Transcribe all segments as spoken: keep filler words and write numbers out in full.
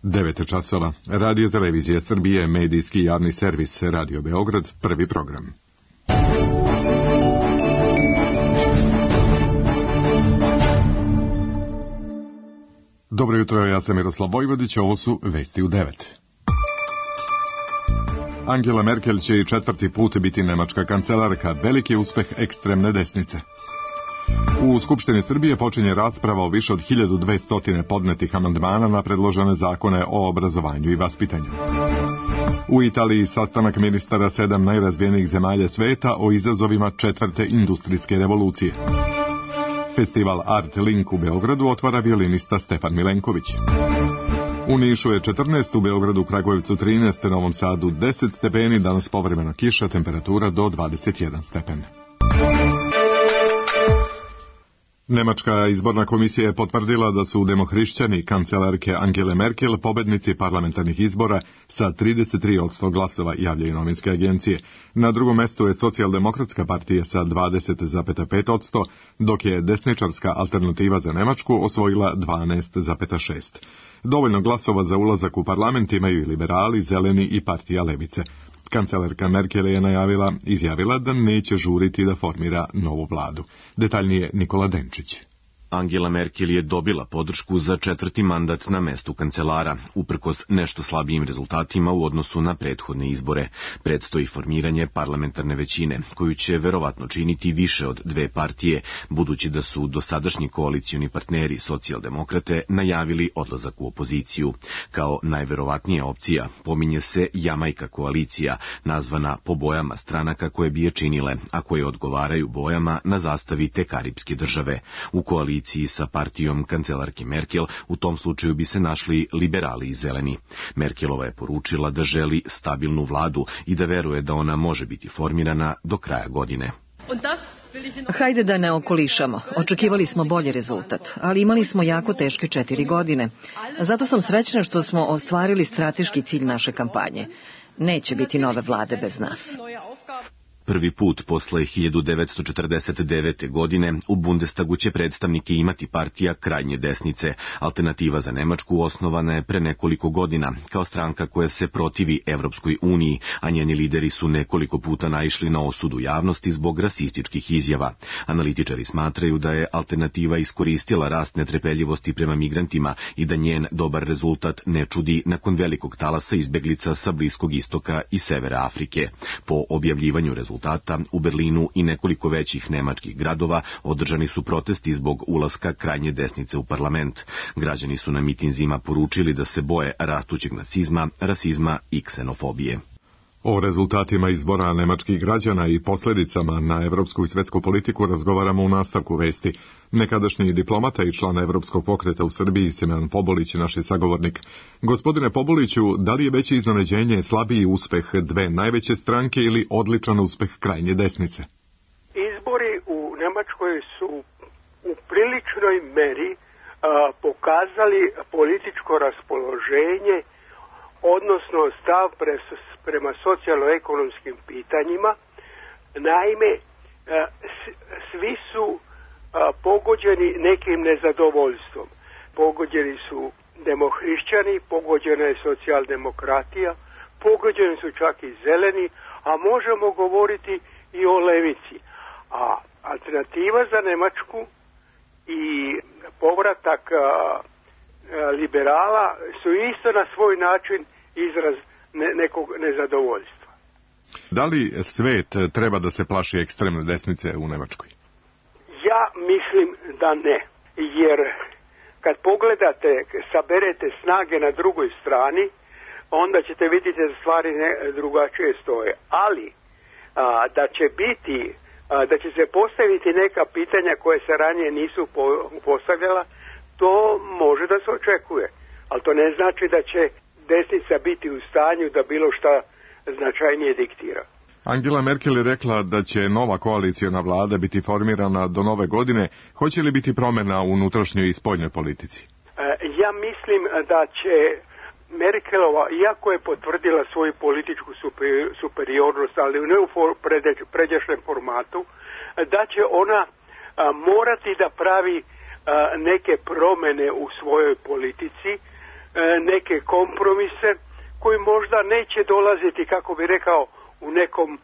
devet časova. Radio Televizija Srbije, medijski javni servis, Radio Beograd, prvi program. Dobro jutro, ja sam Miroslav Vojvodić, ovo su vesti u devet. Angela Merkel će i četvrti put biti nemačka kancelarka, veliki uspeh ekstremne desnice. U Skupštini Srbije počinje rasprava o više od hiljadu dvesta podnetih amandmana na predložene zakone o obrazovanju i vaspitanju. U Italiji sastanak ministara sedam najrazvijenijih zemalja sveta o izazovima četvrte industrijske revolucije. Festival Art Link u Beogradu otvara violinista Stefan Milenković. U Nišu je četrnaest, u Beogradu, Kragujevcu trinaest, Novom Sadu deset stepeni, danas povremena kiša, temperatura do dvadeset jedan stepen. Nemačka izborna komisija je potvrdila da su demohrišćani kancelarke Angele Merkel pobednici parlamentarnih izbora sa trideset tri posto glasova, javljaju novinske agencije. Na drugom mestu je Socijaldemokratska partija sa dvadeset zarez pet posto, dok je desničarska Alternativa za Nemačku osvojila dvanaest zarez šest. Dovoljno glasova za ulazak u parlament imaju i liberali, zeleni i partija levice. Kancelarka Merkel je najavila, izjavila da neće žuriti da formira novu vladu. Detaljnije Nikola Denčić. Angela Merkel je dobila podršku za četvrti mandat na mestu kancelara, uprkos nešto slabijim rezultatima u odnosu na prethodne izbore. Predstoji formiranje parlamentarne većine, koju će verovatno činiti više od dve partije, budući da su dosadašnji koalicioni partneri socijaldemokrate najavili odlazak u opoziciju. Kao najverovatnija opcija pominje se Jamajka koalicija, nazvana po bojama stranaka koje bi je činile, a koje odgovaraju bojama na zastavi te karipske države. U koaliciji sa partijom kancelarke Merkel u tom slučaju bi se našli liberali i zeleni. Merkelova je poručila da želi stabilnu vladu i da veruje da ona može biti formirana do kraja godine. Hajde da ne okolišamo. Očekivali smo bolji rezultat, ali imali smo jako teške četiri godine. Zato sam srećna što smo ostvarili strateški cilj naše kampanje. Neće biti nove vlade bez nas. Prvi put posle hiljadu devetsto četrdeset devete. godine u Bundestagu će predstavnike imati partija krajnje desnice. Alternativa za Nemačku osnovana je pre nekoliko godina kao stranka koja se protivi Evropskoj uniji, a njeni lideri su nekoliko puta naišli na osudu javnosti zbog rasističkih izjava. Analitičari smatraju da je Alternativa iskoristila rast netrpeljivosti prema migrantima i da njen dobar rezultat ne čudi nakon velikog talasa izbeglica sa Bliskog istoka i severa Afrike. Po objavljivanju rezultata u Berlinu i nekoliko većih nemačkih gradova održani su protesti zbog ulaska krajnje desnice u parlament. Građani su na mitinzima poručili da se boje rastućeg nacizma, rasizma i ksenofobije. O rezultatima izbora nemačkih građana i posljedicama na evropsku i svetsku politiku razgovaramo u nastavku vesti. Nekadašnji diplomata i član Evropskog pokreta u Srbiji, Simeon Pobolić, naš je sagovornik. Gospodine Poboliću, da li je veće iznenađenje slabiji uspeh dve najveće stranke ili odličan uspeh krajnje desnice? Izbori u Nemačkoj su u priličnoj meri a, pokazali političko raspoloženje, odnosno stav pres prema socijalno-ekonomskim pitanjima. Naime, svi su pogođeni nekim nezadovoljstvom. Pogođeni su demohrišćani, pogođena je socijaldemokratija, pogođeni su čak i zeleni, a možemo govoriti i o levici. A Alternativa za Nemačku i povratak liberala su isto na svoj način izraz nekog nezadovoljstva. Da li svet treba da se plaši ekstremne desnice u Nemačkoj? Ja mislim da ne, jer kad pogledate, saberete snage na drugoj strani, onda ćete vidjeti da stvari ne, drugačije stoje. Ali a, da će biti, a, da će se postaviti neka pitanja koje se ranije nisu po, postavljala, to može da se očekuje. Ali to ne znači da će desnica biti u stanju da bilo šta značajnije diktira. Angela Merkel je rekla da će nova koalicijona vlada biti formirana do nove godine. Hoće li biti promjena u unutrašnjoj i spoljnoj politici? Ja mislim da će Merkelova, iako je potvrdila svoju političku superiornost, ali ne u pređašnjem formatu, da će ona morati da pravi neke promjene u svojoj politici, neke kompromise koji možda neće dolaziti, kako bi rekao, u nekom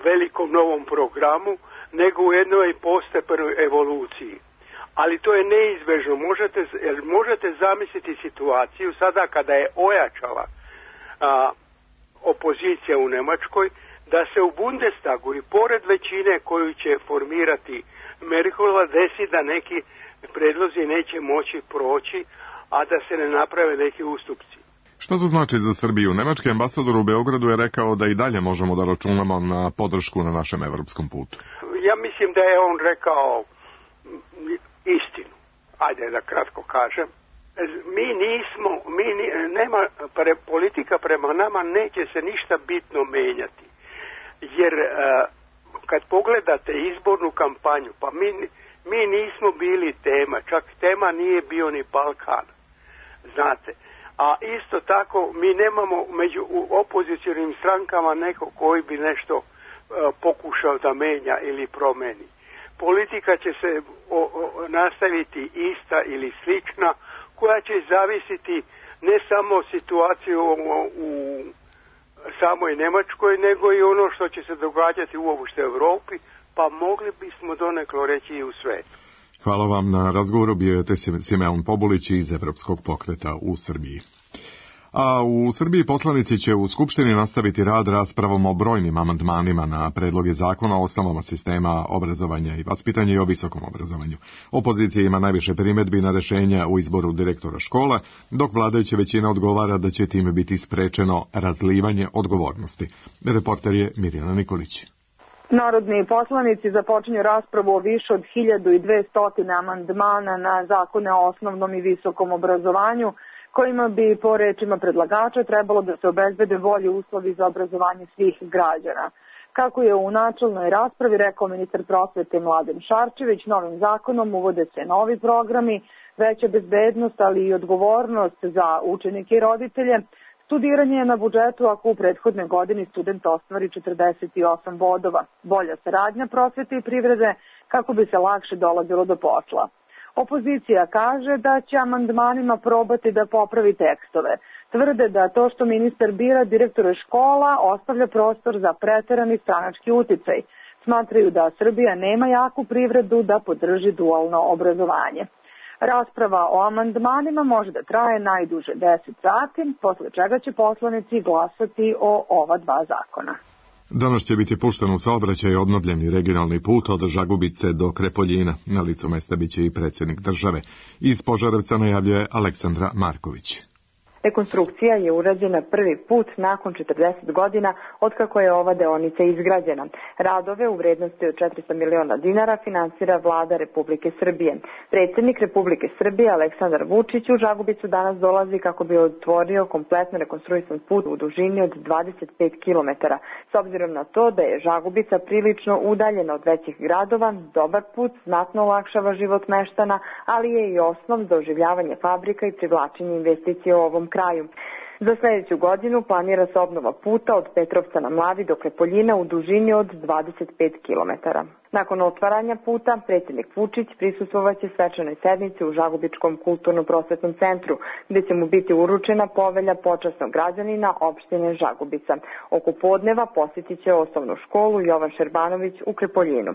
velikom novom programu, nego u jednoj postepenoj evoluciji. Ali to je neizbežno. Možete, možete zamisliti situaciju sada kada je ojačala a, opozicija u Nemačkoj, da se u Bundestagu i pored većine koju će formirati Merkelova desi da neki predlozi neće moći proći, a da se ne naprave neki ustupci. Što to znači za Srbiju? Nemački ambasador u Beogradu je rekao da i dalje možemo da računamo na podršku na našem evropskom putu. Ja mislim da je on rekao istinu. Ajde da kratko kažem. Mi nismo, mi nema, pre, politika prema nama neće se ništa bitno menjati. Jer kad pogledate izbornu kampanju, pa mi, mi nismo bili tema, čak tema nije bio ni Balkan. Znate. A isto tako mi nemamo među opozicionim strankama neko koji bi nešto uh, pokušao da menja ili promeni. Politika će se o, o, nastaviti ista ili slična, koja će zavisiti ne samo situaciju u, u samoj Nemačkoj, nego i ono što će se događati uopšte u Europi, pa mogli bismo doneklo reći i u svetu. Hvala vam na razgovoru, bio je Simeon Pobulić iz Evropskog pokreta u Srbiji. A u Srbiji poslanici će u Skupštini nastaviti rad raspravom o brojnim amandmanima na predloge zakona o osnovama sistema obrazovanja i vaspitanja i o visokom obrazovanju. Opozicija ima najviše primedbi na rešenja u izboru direktora škola, dok vladajuća većina odgovara da će time biti sprečeno razlivanje odgovornosti. Reporter je Mirjana Nikolić. Narodni poslanici započinju raspravu o više od hiljadu dvesta amandmana na zakone o osnovnom i visokom obrazovanju, kojima bi, po rečima predlagača, trebalo da se obezbede bolji uslovi za obrazovanje svih građana. Kako je u načelnoj raspravi rekao ministar prosvete Mladen Šarčević, novim zakonom uvode se novi programi, veća bezbednost, ali i odgovornost za učenike i roditelje. Studiranje je na budžetu ako u prethodnoj godini student ostvari četrdeset osam bodova. Bolja saradnja prosvete i privrede kako bi se lakše dolazilo do posla. Opozicija kaže da će amandmanima probati da popravi tekstove. Tvrde da to što ministar bira direktore škola ostavlja prostor za preterani stranački uticaj. Smatraju da Srbija nema jaku privredu da podrži dualno obrazovanje. Rasprava o amandmanima može da traje najduže deset sati, posle čega će poslanici glasati o ova dva zakona. Danas će biti pušten u saobraćaj obnovljeni regionalni put od Žagubice do Krepoljina. Na licu mesta biće i predsjednik države. Iz Požarevca najavljuje Aleksandra Marković. Rekonstrukcija je urađena prvi put nakon četrdeset godina otkako je ova deonica izgrađena. Radove u vrednosti od četiristo miliona dinara finansira vlada Republike Srbije. Predsjednik Republike Srbije Aleksandar Vučić u Žagubicu danas dolazi kako bi otvorio kompletno rekonstruisan put u dužini od dvadeset pet kilometara. S obzirom na to da je Žagubica prilično udaljena od većih gradova, dobar put znatno olakšava život meštana, ali je i osnov za oživljavanje fabrika i privlačenje investicije u ovom kraju. Za sljedeću godinu planira se obnova puta od Petrovca na Mlavi do Krepoljina u dužini od dvadeset pet kilometara. Nakon otvaranja puta, predsjednik Vučić prisustvovaće svečanoj sednici u Žagubičkom kulturno-prosvetnom centru, gdje će mu biti uručena povelja počasnog građanina opštine Žagubica. Oko podneva posjetit će osnovnu školu Jovan Šerbanović u Krepoljinu.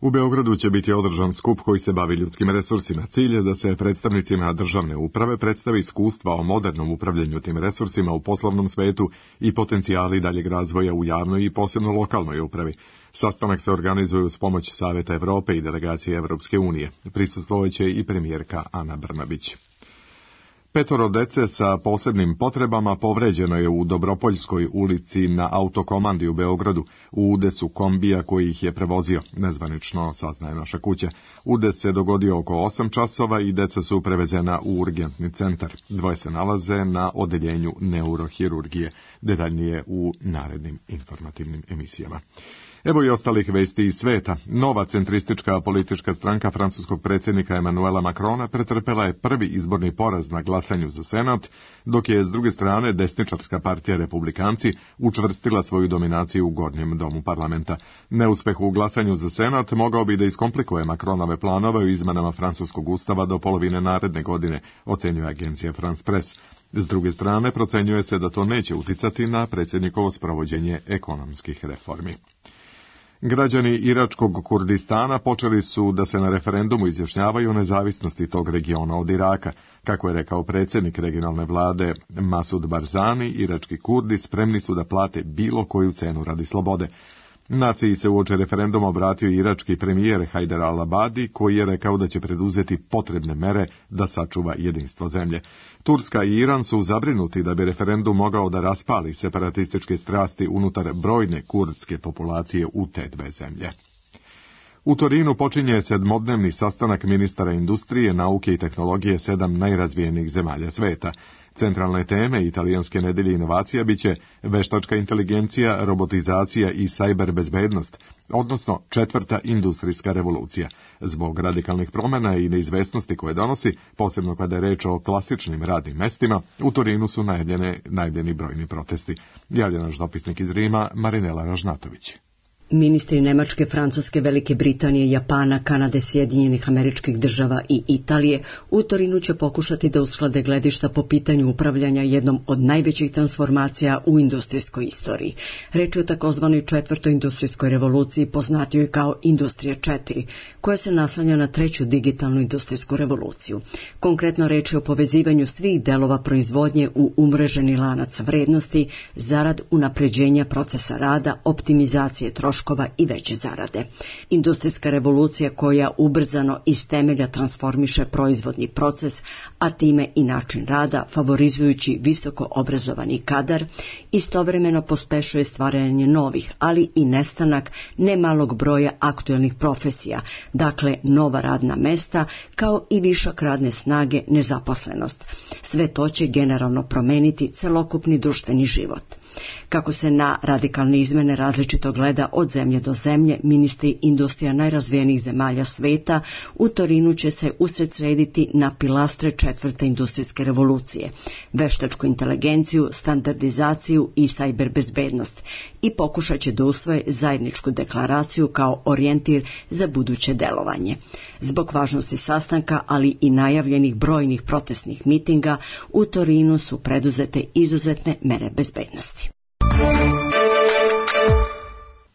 U Beogradu će biti održan skup koji se bavi ljudskim resursima. Cilj je da se predstavnicima državne uprave predstavi iskustva o modernom upravljanju tim resursima u poslovnom svetu i potencijali daljeg razvoja u javnoj i posebno lokalnoj upravi. Sastanak se organizuje uz pomoć Saveta Evrope i delegacije Evropske unije. Prisustvovaće i premijerka Ana Brnabić. Petoro dece sa posebnim potrebama povređeno je u Dobropoljskoj ulici na autokomandi u Beogradu u udesu kombija koji ih je prevozio, nezvanično saznaje naša kuća. Udes se dogodio oko osam časova i deca su prevezena u urgentni centar. Dvoje se nalaze na odeljenju neurohirurgije, detaljnije u narednim informativnim emisijama. Evo i ostalih vesti iz sveta. Nova centristička politička stranka francuskog predsjednika Emmanuela Macrona pretrpela je prvi izborni poraz na glasanju za senat, dok je s druge strane desničarska partija Republikanci učvrstila svoju dominaciju u gornjem domu parlamenta. Neuspeh u glasanju za senat mogao bi da iskomplikuje Macronove planove u izmenama francuskog ustava do polovine naredne godine, ocenjuje agencija France Press. S druge strane, procenjuje se da to neće uticati na predsjednikovo sprovođenje ekonomskih reformi. Građani iračkog Kurdistana počeli su da se na referendumu izjašnjavaju o nezavisnosti tog regiona od Iraka. Kako je rekao predsjednik regionalne vlade Masud Barzani, irački Kurdi spremni su da plate bilo koju cenu radi slobode. Naciji se uoči referenduma obratio irački premijer Hajder al-Abadi, koji je rekao da će preduzeti potrebne mere da sačuva jedinstvo zemlje. Turska i Iran su zabrinuti da bi referendum mogao da raspali separatističke strasti unutar brojne kurdske populacije u te dve zemlje. U Torinu počinje sedmodnevni sastanak ministara industrije, nauke i tehnologije sedam najrazvijenijih zemalja sveta. Centralne teme italijanske nedelje inovacija biće veštačka inteligencija, robotizacija i sajber bezbednost, odnosno četvrta industrijska revolucija. Zbog radikalnih promjena i neizvesnosti koje donosi, posebno kada je reč o klasičnim radnim mestima, u Torinu su najavljene, najavljeni brojni protesti. Javlja naš dopisnik iz Rima, Marinela Ražnatović. Ministri Nemačke, Francuske, Velike Britanije, Japana, Kanade, Sjedinjenih Američkih Država i Italije u Torinu će pokušati da usklade gledišta po pitanju upravljanja jednom od najvećih transformacija u industrijskoj istoriji. Reč je o takozvanoj četvrtoj industrijskoj revoluciji, poznatijoj kao Industrija četiri, koja se naslanja na treću digitalnu industrijsku revoluciju. Konkretno reč je o povezivanju svih delova proizvodnje u umreženi lanac vrednosti, zarad unapređenja procesa rada, optimizacije troškova i veće zarade. Industrijska revolucija koja ubrzano iz temelja transformiše proizvodni proces, a time i način rada, favorizujući visoko obrazovani kadar, istovremeno pospešuje stvaranje novih, ali i nestanak nemalog broja aktuelnih profesija, dakle nova radna mesta, kao i višak radne snage, nezaposlenost. Sve to će generalno promeniti celokupni društveni život. Kako se na radikalne izmene različito gleda od zemlje do zemlje, ministri industrija najrazvijenijih zemalja sveta u Torinu će se usredsrediti na pilastre četvrte industrijske revolucije, veštačku inteligenciju, standardizaciju i sajber bezbednost i pokušat će da usvoje zajedničku deklaraciju kao orijentir za buduće delovanje. Zbog važnosti sastanka, ali i najavljenih brojnih protestnih mitinga, u Torinu su preduzete izuzetne mere bezbednosti.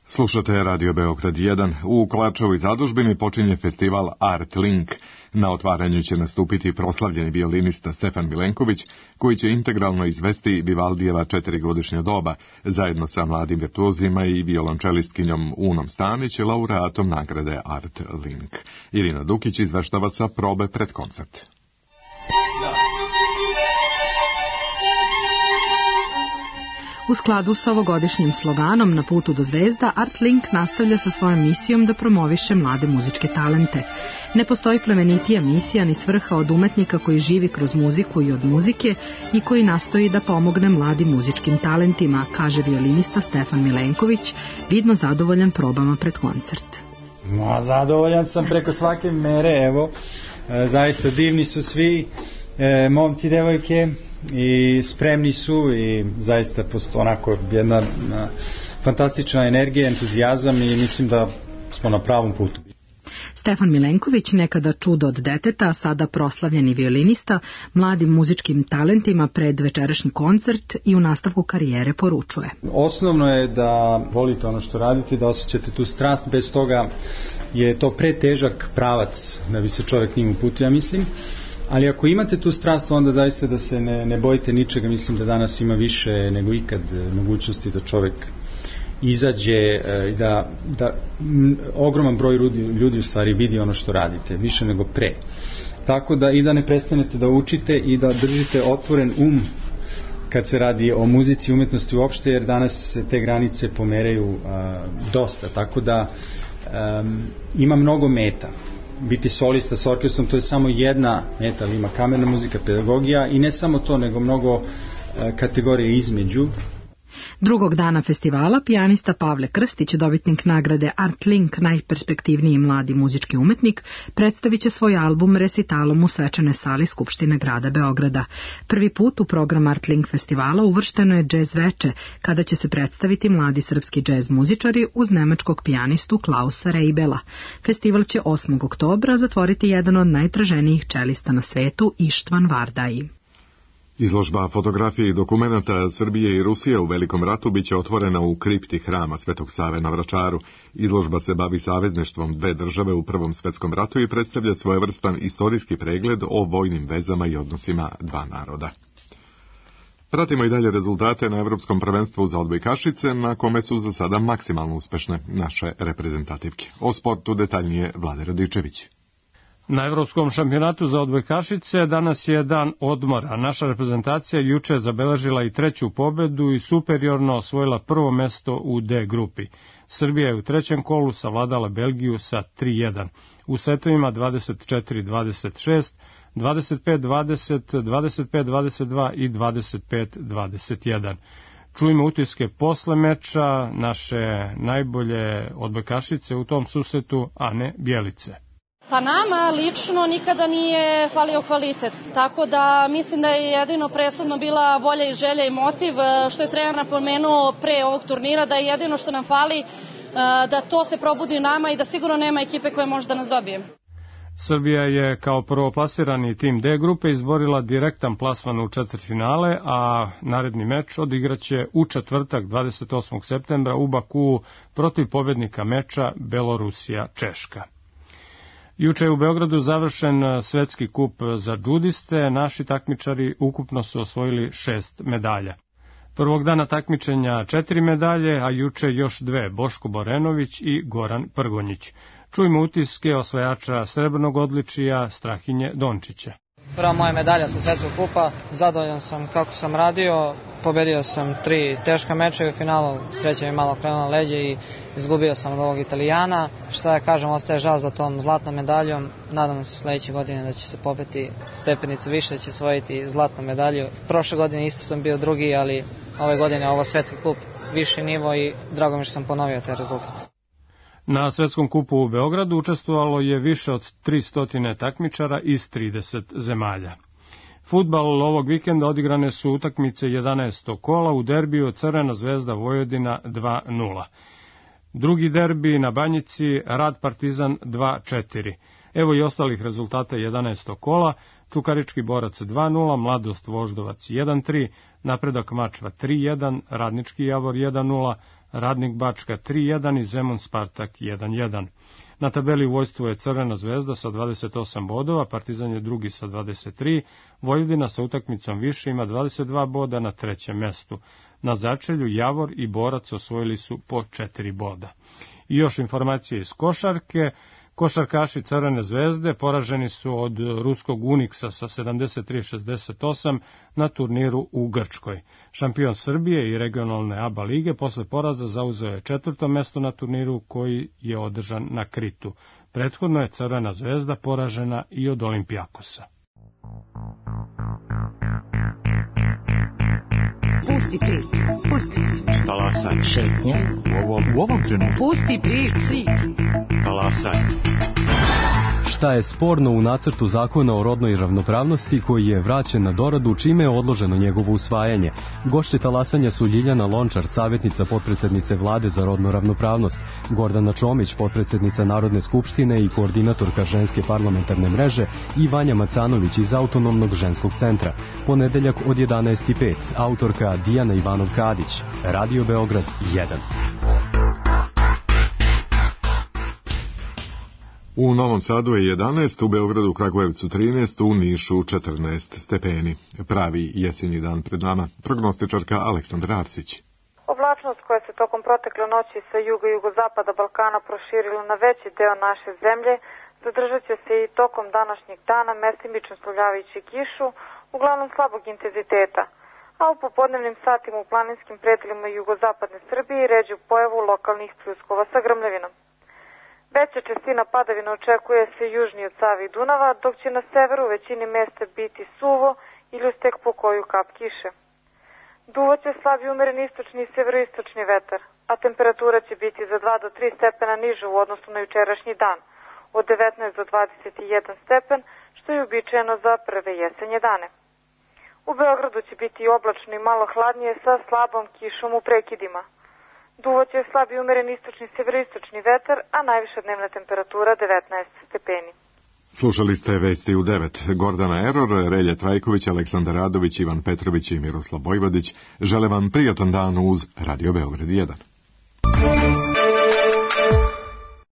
Slušate Radio Beograd jedan. U Kolarčevoj zadužbini počinje festival Art Link. Na otvaranju će nastupiti proslavljeni violinista Stefan Milenković, koji će integralno izvesti Vivaldijeva četirigodišnja doba, zajedno sa mladim virtuozima i violončelistkinjom Unom Stanić, laureatom nagrade Art Link. Irina Dukić izveštava sa probe pred koncert. U skladu sa ovogodišnjim sloganom Na putu do zvezda, Art Link nastavlja sa svojom misijom da promoviše mlade muzičke talente. Ne postoji plemenitija misija ni svrha od umetnika koji živi kroz muziku i od muzike i koji nastoji da pomogne mladim muzičkim talentima, kaže violinista Stefan Milenković, vidno zadovoljan probama pred koncert. No, zadovoljan sam preko svake mere, evo, e, zaista divni su svi, e, momci, devojke, i spremni su i zaista postoji onako jedna na, fantastična energija, entuzijazam i mislim da smo na pravom putu. Stefan Milenković, nekada čudo od deteta, sada proslavljeni violinista, mladim muzičkim talentima pred večerašnji koncert i u nastavku karijere poručuje. Osnovno je da volite ono što radite, da osjećate tu strast, bez toga je to pretežak pravac da bi se čovjek njim uputio, ja mislim. Ali ako imate tu strast, onda zaista da se ne, ne bojite ničega. Mislim da danas ima više nego ikad mogućnosti da čovjek izađe i da, da m, ogroman broj ljudi, ljudi u stvari vidi ono što radite, više nego pre. Tako da i da ne prestanete da učite i da držite otvoren um kad se radi o muzici i umjetnosti uopšte, jer danas se te granice pomeraju a, dosta. Tako da a, ima mnogo meta. Biti solista s orkestrom, to je samo jedna meta, ali ima kamerna muzika, pedagogija i ne samo to, nego mnogo e, kategorije između. Drugog dana festivala pijanista Pavle Krstić, dobitnik nagrade Art Link, najperspektivniji mladi muzički umetnik, predstavit će svoj album resitalom u svečanoj sali Skupštine grada Beograda. Prvi put u program Art Link festivala uvršteno je džez veče, kada će se predstaviti mladi srpski džez muzičari uz nemačkog pijanistu Klausa Reibela. Festival će osmog oktobra zatvoriti jedan od najtraženijih čelista na svetu, Ištvan Vardaj. Izložba fotografije i dokumenata Srbije i Rusije u Velikom ratu biće otvorena u kripti hrama Svetog Save na Vračaru. Izložba se bavi savezništvom dve države u Prvom svetskom ratu i predstavlja svojevrstan istorijski pregled o vojnim vezama i odnosima dva naroda. Pratimo i dalje rezultate na Evropskom prvenstvu za odbojkašice, na kome su za sada maksimalno uspešne naše reprezentativke. O sportu detaljnije Vlade Radičević. Na Evropskom šampionatu za odbojkašice danas je dan odmora. Naša reprezentacija juče zabeležila i treću pobedu i superiorno osvojila prvo mesto u D grupi. Srbija je u trećem kolu savladala Belgiju sa tri jedan. U setovima dvadeset četiri dvadeset šest, dvadeset pet dvadeset, dvadeset pet dvadeset dva i dvadeset pet dvadeset jedan. Čujemo utiske posle meča naše najbolje odbojkašice u tom susretu, Ane Bjelice. Pa nama lično nikada nije falio kvalitet, tako da mislim da je jedino presudno bila volja i želja i motiv, što je trener napomenuo pre ovog turnira, da je jedino što nam fali da to se probudi u nama i da sigurno nema ekipe koja može da nas dobije. Srbija je kao prvoplasirani tim D grupe izborila direktan plasman u četvrtfinale, a naredni meč odigraće u četvrtak dvadeset osmog septembra u Bakuu protiv pobednika meča Belorusija-Češka. Juče je u Beogradu završen svetski kup za džudiste, naši takmičari ukupno su osvojili šest medalja. Prvog dana takmičenja četiri medalje, a juče još dve, Boško Borenović i Goran Prgonjić. Čujmo utiske osvajača srebrnog odličija Strahinje Dončića. Prva moja medalja sa svetskog kupa, zadovoljan sam kako sam radio, pobedio sam tri teška meča i u finalu sreća mi malo krenula leđe i izgubio sam od ovog Italijana. Šta ja kažem, ostaje žal za tom zlatnom medaljom, nadam se sledeće godine da će se popeti stepenicu više, da će osvojiti zlatnu medalju. Prošle godine isto sam bio drugi, ali ove godine ovo svetski kup viši nivo i drago mi što sam ponovio taj rezultat. Na svetskom kupu u Beogradu učestvovalo je više od tristo takmičara iz trideset zemalja. Fudbal ovog vikenda odigrane su utakmice jedanaestog kola u derbiju Crvena zvezda Vojvodina dva nula. Drugi derbi na Banjici Rad Partizan dva četiri. Evo i ostalih rezultata jedanaestog kola. Čukarički Borac dva nula, Mladost Voždovac jedan tri, Napredak Mačva tri jedan, Radnički Javor jedan nula, Radnik Bačka tri jedan i Zemun Spartak jedan jedan. Na tabeli vojstvo je Crvena zvezda sa dvadeset osam bodova, Partizan je drugi sa dvadeset tri, Vojvodina sa utakmicom više ima dvadeset dva boda na trećem mestu. Na začelju Javor i Borac osvojili su po četiri boda. I još informacije iz košarke. Košarkaši Crvene zvezde poraženi su od ruskog Uniksa sa sedamdeset tri šezdeset osam na turniru u Grčkoj. Šampion Srbije i regionalne A B A lige posle poraza zauzeo je četvrto mesto na turniru koji je održan na Kritu. Prethodno je Crvena zvezda poražena i od Olimpijakosa. Pusti priču, pusti priču. Talasaj. Šetnja. U ovom, u ovom trenutku. Pusti priču. Talasaj. Šta je sporno u nacrtu zakona o rodnoj ravnopravnosti koji je vraćen na doradu, čime je odloženo njegovo usvajanje? Gošće talasanja su Ljiljana Lončar, savjetnica potpredsednice Vlade za rodnu ravnopravnost, Gordana Čomić, potpredsednica Narodne skupštine i koordinatorka ženske parlamentarne mreže i Vanja Macanović iz Autonomnog ženskog centra. Ponedeljak od jedanaest i pet, autorka Dijana Ivanov-Kadić, Radio Beograd jedan. U Novom Sadu je jedanaest, u Beogradu, Kragujevcu trinaest, u Nišu četrnaest stepeni. Pravi jesenji dan pred nama. Prognostičarka Aleksandra Arsić. Oblačnost koja se tokom protekle noći sa juga i jugozapada Balkana proširila na veći deo naše zemlje, zadržat će se i tokom današnjeg dana, mestimično slavljavajući kišu, uglavnom slabog intenziteta, a u popodnevnim satima u planinskim predelima jugozapadne Srbije ređu pojavu lokalnih pljuskova sa grmljavinom. Veća čestina padavina očekuje se južnije od Save i Dunava, dok će na severu u većini mesta biti suvo ili uz tek po koju kap kiše. Duvaće slabi umeren istočni i severoistočni vetar, a temperatura će biti za dva do tri stepena niže u odnosu na jučerašnji dan, od devetnaest do dvadeset jedan stepen, što je uobičajeno za prve jesenje dane. U Beogradu će biti oblačno i malo hladnije sa slabom kišom u prekidima. Duvaće slabi umeren istočni i severoistočni vetar, a najviša dnevna temperatura devetnaest stepeni. Slušali ste vesti u devet. Gordana Eror, Relja Trajković, Aleksandar Radović, Ivan Petrović i Miroslav Vojvodić žele vam prijatan dan uz Radio Beograd jedan.